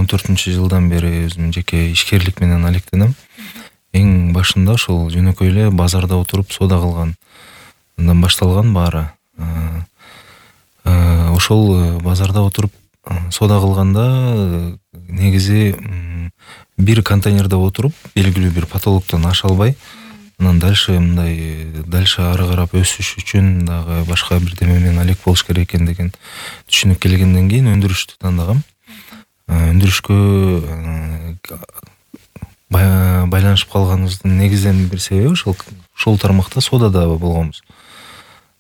2014-жылдан бери өзүм жеке ишкерлик менен алектенем. Эң башында ошол жөнөкөй эле базарда отуруп соода кылгандан башталган баары. Ошол базарда отуруп соода кылганда негизи бир контейнерде отуруп белгилүү бир потолоктон аша албай, анан дальше ары карап өсүш үчүн дагы башка бирдеме менен алек болуш керек экен деген түшүнүк келгенден кийин өндүрүштү тандагам. Өндүрүшкө байланышып калганыбыздын негизден бир себеби ошол тармакта соодада болгонбуз.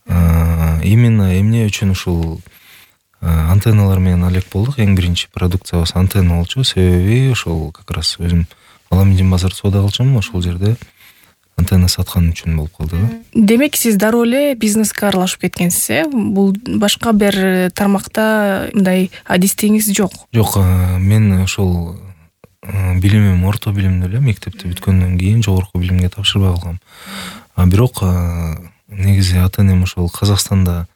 Именно эмне үчүн ушул антенналар менен алек болдук. Эң биринчи продукциябыз антенна болчу. Себеби ошол как раз өзүм Аламедин базарда соода кылчумун, ошол жерде антенна саткан үчүн болуп калды. Демек сиз дароо эле бизнеске аралашып кеткенсиз, Бул башка бир тармакта мындай адистигиңиз жок? Жок, мен ошол билимим орто билимдүү эле, мектепти бүткөндөн кийин жогорку билимге тапшырбай калгам. Бирок негизи ата-энем ошол Казакстанда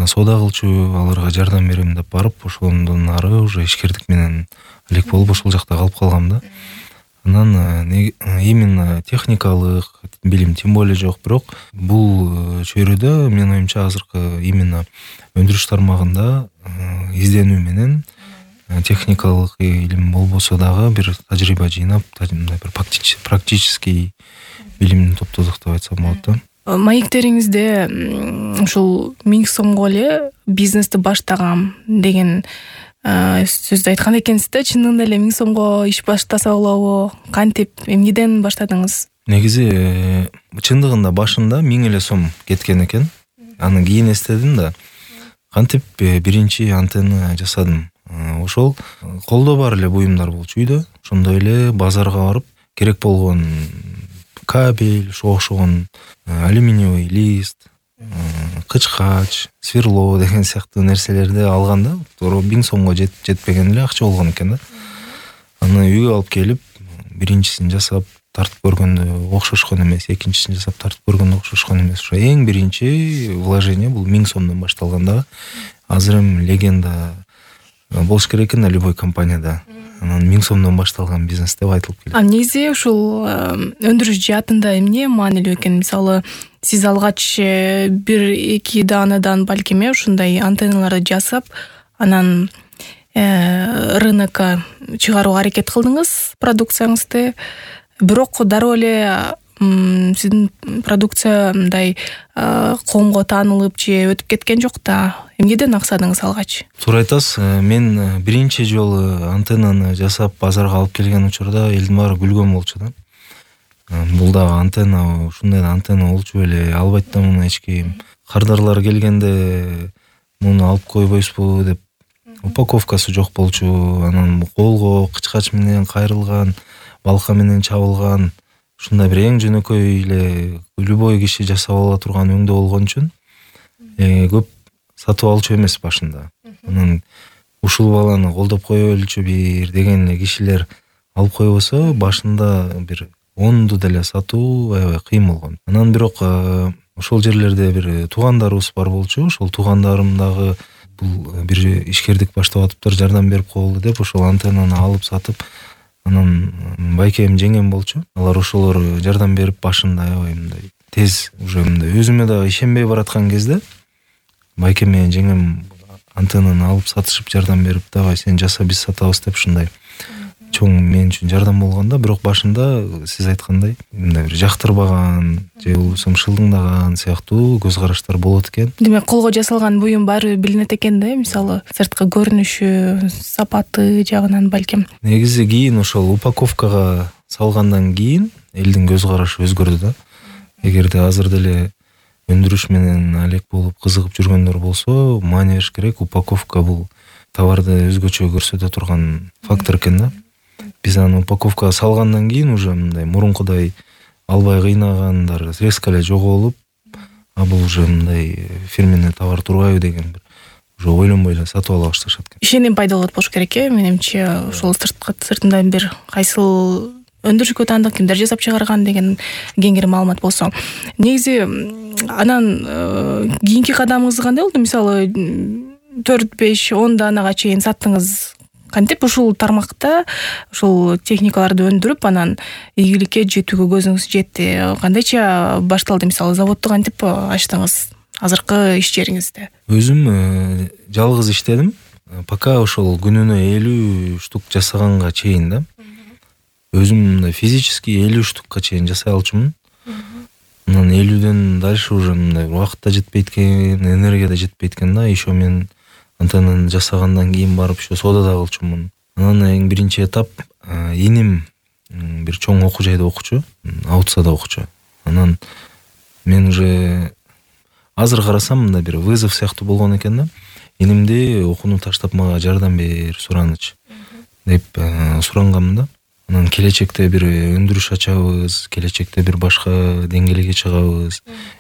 соода кылчу, аларга жардам берем деп барып, ошондон ары уже ишкердик менен алек болуп ошол жакта калып калгам да. Анан именно техникалык билим тем более жок, бирок бул чөйрөдө менин оюмча азыркы именно өндүрүш тармагында изденүү менен техникалык илим болбосо дагы бир тажрыйба жыйнап, бир практический билимди топтодук деп айтсам болот да. Маектериңизде ушул 1000 сомго эле бизнести баштагам деген сөздү айткан экенсиз да. Чынында эле 1000 сомго иш баштаса болобу? Кантип, эмнеден баштадыңыз? Негизи чындыгында башында 1000 эле сом кеткен экен. Анан кийин эстедим да. Кантип биринчи антенна жасадым. Ошол колдо бар эле буюмдар болчу үйдө. Ошондой эле базарга барып керек болгон кабель, окшогон алюминиевый лист, кычкач, сверло деген сыяктуу нерселерди алганда, туура 1000 сомго жетпеген эле акча болгон экен да. Аны үйгө алып келип, биринчисин жасап тартып көргөндө окшошкон эмес, экинчисин жасап тартып көргөндө окшошкон эмес. Ошо эң биринчи вложение бул 1000 сомдон башталган да. Азыр эми легенда болуш керек экен да любой компанияда. Анан 1000 сомдон башталган бизнес деп айтылып келет. Негизи ушул өндүрүш жаатында эмне маанилүү экен? Мисалы, сиз алгач 1-2 даанадан балким ушундай антенналарды жасап, анан рынокко чыгарууга аракет кылдыңыз продукцияңызды. Бирок дароо эле сиздин продукция мындай коомго таанылып же өтүп кеткен жок да. Эмнеден аксадыңыз алгач? Туура айтасыз. Мен биринчи жолу антеннаны жасап базарга алып келген учурда элдин баары күлгөн болчу да. Бул дагы антенна, ушундай антенна болчу беле, албайт да муну эч ким. Кардарлар келгенде муну алып койбойсузбу деп. Упаковкасы жок болчу. Анан колго кычкач менен кайрылган, балка менен чабылган, ушундай бир эң жөнөкөй эле любой киши жасап ала турган өңдө болгон үчүн көп сатып алчу эмес башында. Анан ушул баланы колдоп коелучу бир деген эле кишилер алып койбосо, башында бир 10ду деле сатуу аябай кыйын болгон. Анан бирок ошол жерлерде бир туугандарыбыз бар болчу. Ошол туугандарым дагы бул бир ишкердик баштап атыптыр, жардам берип коелу деп ошол антеннаны алып сатып, анан байкем жеңем болчу. Алар ошолор жардам берип башында аябай мындай тез уже мындай өзүмө дагы ишенбей бараткан кезде байкем менен жеңем антеннаны алып сатышып жардам берип, давай сен жаса, биз сатабыз деп ушундай чоң мен үчүн жардам болгонда, бирок башында сиз айткандай мындай бир жактырбаган же болбосо шылдыңдаган сыяктуу көз караштар болот экен. Демек колго жасалган буюм баары билинет экен да, мисалы сырткы көрүнүшү, сапаты жагынан балким. Негизи кийин ошол упаковкага салгандан кийин элдин көз карашы өзгөрдү да. Эгерде азыр деле өндүрүш менен алек болуп кызыгып жүргөндөр болсо, маани бериш керек. Упаковка бул товарды өзгөчө көрсөтө турган фактор экен да. Биз аны упаковкага салгандан кийин уже мындай мурункудай албай кыйнагандар резко эле жоголуп, бул уже мындай фирменный товар турбайбы деген бир уже ойлонбой эле сатып ала башташат экен. Ишеним пайда болот болуш керек менимче. Ошол сыртынан бир кайсыл өндүрүшкө таандык, кимдер жасап чыгарган деген кеңири маалымат болсо. Негизи анан кийинки кадамыңыз кандай болду? Мисалы 4-5-10 даанага чейин саттыңыз. Кантип ушул тармакта ушул техникаларды өндүрүп анан ийгиликке жетүүгө көзүңүз жетти? Кандайча башталды? Мисалы заводду кантип ачтыңыз азыркы иш жериңизде? Өзүм жалгыз иштедим. Пока ошол күнүнө 50 штук жасаганга чейин да. Өзүм мындай физически 50 штукка чейин жасай алчумун. Анан 50ден дальше уже мындай убакыт да жетпейт экен, энергия да жетпейт экен да. Еще мен антеннаны жасагандан кийин барып еще содада кылчумун. Анан эң биринчи этап иним бир чоң окуу жайда окучу, Аутсада окучу. Анан мен уже азыр карасам мындай бир вызов сыяктуу болгон экен да. Инимди окууну таштап мага жардам бер сураныч деп суранганмын да. Анан келечекте бир өндүрүш ачабыз, келечекте бир башка деңгээлге чыгабыз.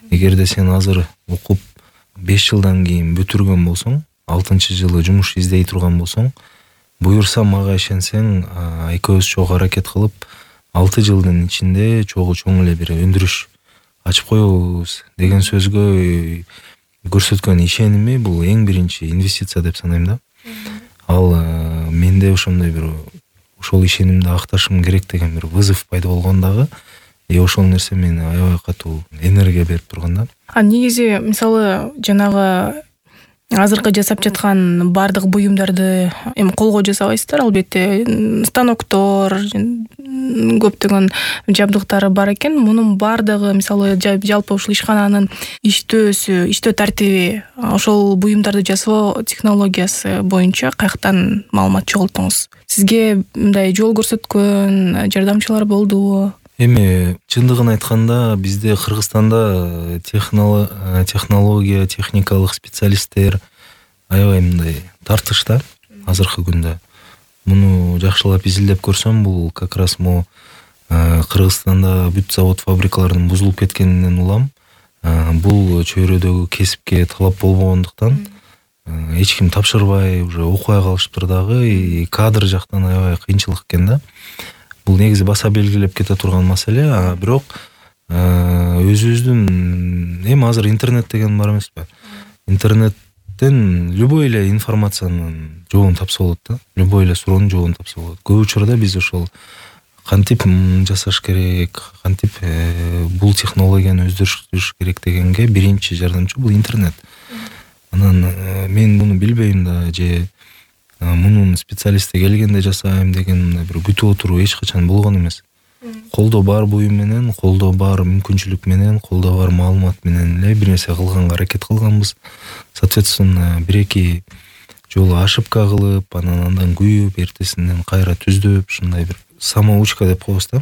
Эгерде сен азыр окуп 5 жылдан кийин бүтүргөн болсоң, 6-жылы жумуш издей турган болсоң, буюрса мага ишенсең, экөөбүз чогуу аракет кылып 6 жылдын ичинде чоң эле бир өндүрүш ачып коебуз деген сөзгө көрсөткөн ишеними бул эң биринчи инвестиция деп санайм да. Ал менде ошондой бир ошол ишенимди акташым керек деген бир вызов пайда болгон дагы. Ошол нерсе мени аябай катуу энергия берип турган да. Негизи мисалы жанагы азыркы жасап жаткан бардык буюмдарды эми колго жасабайсыздар, албетте станоктор, көптөгөн жабдыктары бар экен. Мунун бардыгы мисалы жалпы ушул ишкананын иштөө тартиби, ошол буюмдарды жасоо технологиясы боюнча каяктан маалымат чогулттуңуз? Сизге мындай жол көрсөткөн жардамчылар болдубу? Эми чындыгын айтканда бизде Кыргызстанда технология, техникалык специалисттер аябай мындай тартышта азыркы күндө. Муну жакшылап изилдеп көрсөм, бул как раз Кыргызстанда бүт завод фабрикалардын бузулуп кеткенинен улам. Бул чөйрөдөгү кесипке талап болбогондуктан эч ким тапшырбай, уже окубай калышыптыр дагы, кадр жактан аябай кыйынчылык экен да. Бул негизи баса белгилеп кете турган маселе, бирок өзүбүздүн эми азыр интернет деген бар эмеспи? Интернеттен любой эле информациянын жообун тапса болот да. Любой эле суроонун жообун тапса болот. Көп учурда биз ошол кантип жасаш керек, кантип бул технологияны өздөртүш керек дегенге биринчи жардамчы бул интернет. Анан мен муну билбейм да, же мунун специалисти келгенде жасайм деген бир күтүп отуруу эч качан болгон эмес. Колдо бар буюм менен, колдо бар мүмкүнчүлүк менен, колдо бар маалымат менен эле бир нерсе кылганга аракет кылганбыз. Соответственно, 1-2 жолу ошибка кылып, андан күйүп, эртесинен кайра түздөп, ушундай бир самоучка деп коебуз да.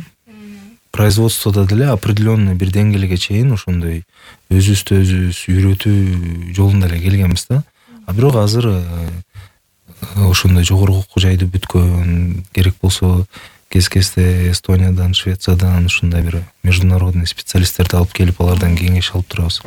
Производстводо деле определенный бир деңгээлге чейин ошондой өзүбүздү өзүбүз үйрөтүү жолунда эле келгенбиз да. Бирок азыр ошондой жогорку окуу жайды бүткөн, керек болсо кез-кезде Эстониядан, Швециядан ушундай бир международный специалисттерди алып келип, алардан кеңеш алып турабыз.